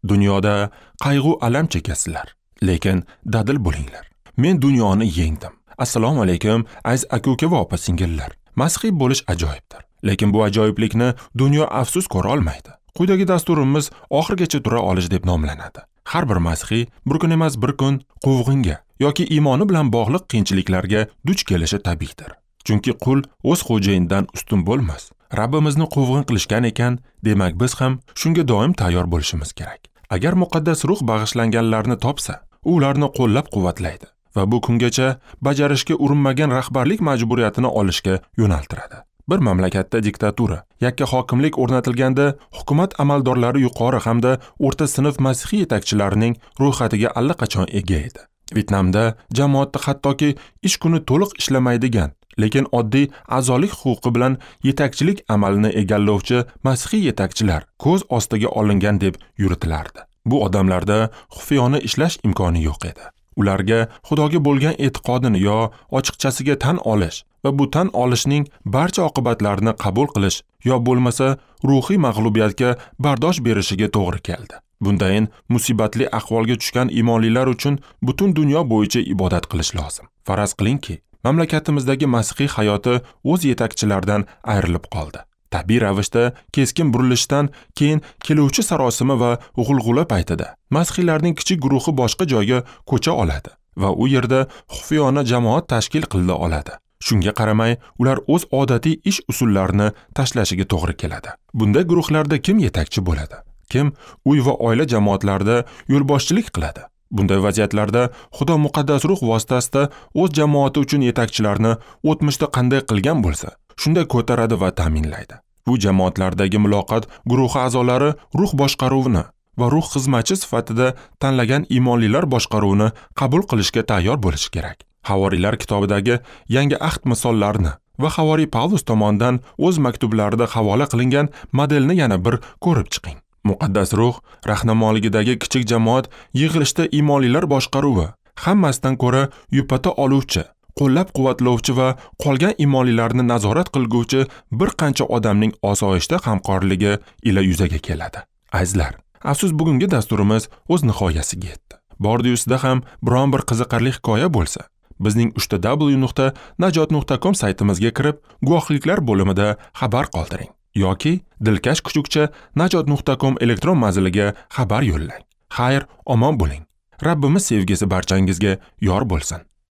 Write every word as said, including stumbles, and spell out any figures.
Dunyoda qayg'u alam chekasizlar, lekin dadil bo'linglar. Men dunyoni yengdim. Assalomu alaykum, aziz aka-uka va opa-singillar. Masihiy bo'lish ajoyibdir, lekin bu ajoyiblikni dunyo afsus ko'ra olmaydi. Quyidagi dasturimiz oxirigacha tura olish deb nomlanadi. Har bir masihiy bir kun emas bir kun quvg'inga yoki iymoni bilan bog'liq qiyinchiliklarga duch kelishi tabiiydir. Chunki qul o'z xo'jayinidan ustun bo'lmas. Rabbimizni quvg'in qilishgan ekan, demak biz ham shunga doim tayyor bo'lishimiz kerak. Agar muqaddas ruh bag'ishlanganlarni topsa, u ularni qo'llab-quvvatlaydi va bu kungacha bajarishga urinmagan rahbarlik majburiyatini olishga yo'naltiradi. Bir mamlakatda diktatura, yakka hokimlik o'rnatilganda hukumat amaldorlari yuqori hamda o'rta sinf masihiy yetakchilarining ro'yxatiga allaqachon ega edi. Vyetnamda jamoatda hattoki ish kuni to'liq ishlamaydigan, lekin oddiy a'zolik huquqi bilan yetakchilik amalini egallovchi masihiy yetakchilar ko'z ostiga olingan deb yuritilardi. Bu odamlarda xufiyona ishlash imkoni yo'q edi. Ularga Xudoga bo'lgan e'tiqodini yo ochiqchasiga tan olish va bu tan olishning barcha oqibatlarini qabul qilish yo bo'lmasa ruhiy mag'lubiyatga bardosh berishiga to'g'ri keldi. Bundayin musibatli ahvolga tushgan iymonlilar uchun butun dunyo bo'yicha ibodat qilish lozim. Faraz qilingki, mamlakatimizdagi masihiy hayoti o'z yetakchilaridan ayrilib qoldi. Tabiiy ravishda keskin burilishdan keyin keluvchi sarosima va g'ulg'ula paytida masihiylarning kichik guruhi boshqa joyga ko'cha oladi va u yerda xufiyona jamoat tashkil qila oladi. Shunga qaramay, ular o'z odatiy ish usullarini tashlashiga to'g'ri keladi. Bunday guruhlarda kim yetakchi bo'ladi? Kim uy va oila jamoatlarida yo'lboshchilik qiladi? Bunday vaziyatlarda Xudo muqaddas ruh vositasida o'z jamoati uchun yetakchilarni o'tmishda qanday qilgan bo'lsa, shunday ko'taradi va ta'minlaydi. Bu jamoatlardagi muloqot guruhi a'zolari ruh boshqaruvini va ruh xizmatchi sifatida tanlagan iymonlilar boshqaruvini qabul qilishga tayyor bo'lishi kerak. Havoriylar kitobidagi yangi ahd misollarini va Havoriy Pavlus tomonidan o'z maktublarida havola qilingan modelni yana bir ko'rib chiqing. Muqaddas ruh rahnamoligidagi kichik jamoat yig'ilishda iymonlilar boshqaruvi hammasidan ko'ra yupata oluvchi, qo'llab-quvvatlovchi va qolgan iymonlilarni nazorat qilguvchi bir qancha odamning osoyishta hamkorligi ila yuzaga keladi. Azizlar, afsus bugungi dasturimiz o'z nihoyasiga yetdi. Bordi-yusida ham biron bir qiziqarli hikoya bo'lsa, bizning uch w nuqta najot nuqta com saytimizga kirib, guvohliklar bo'limida xabar qoldiring yoki dilkash kuchukcha najot nuqta com elektron manziliga xabar yo'llang. Xayr, omon bo'ling. Rabbimiz sevgisi barchangizga yor bo'lsin.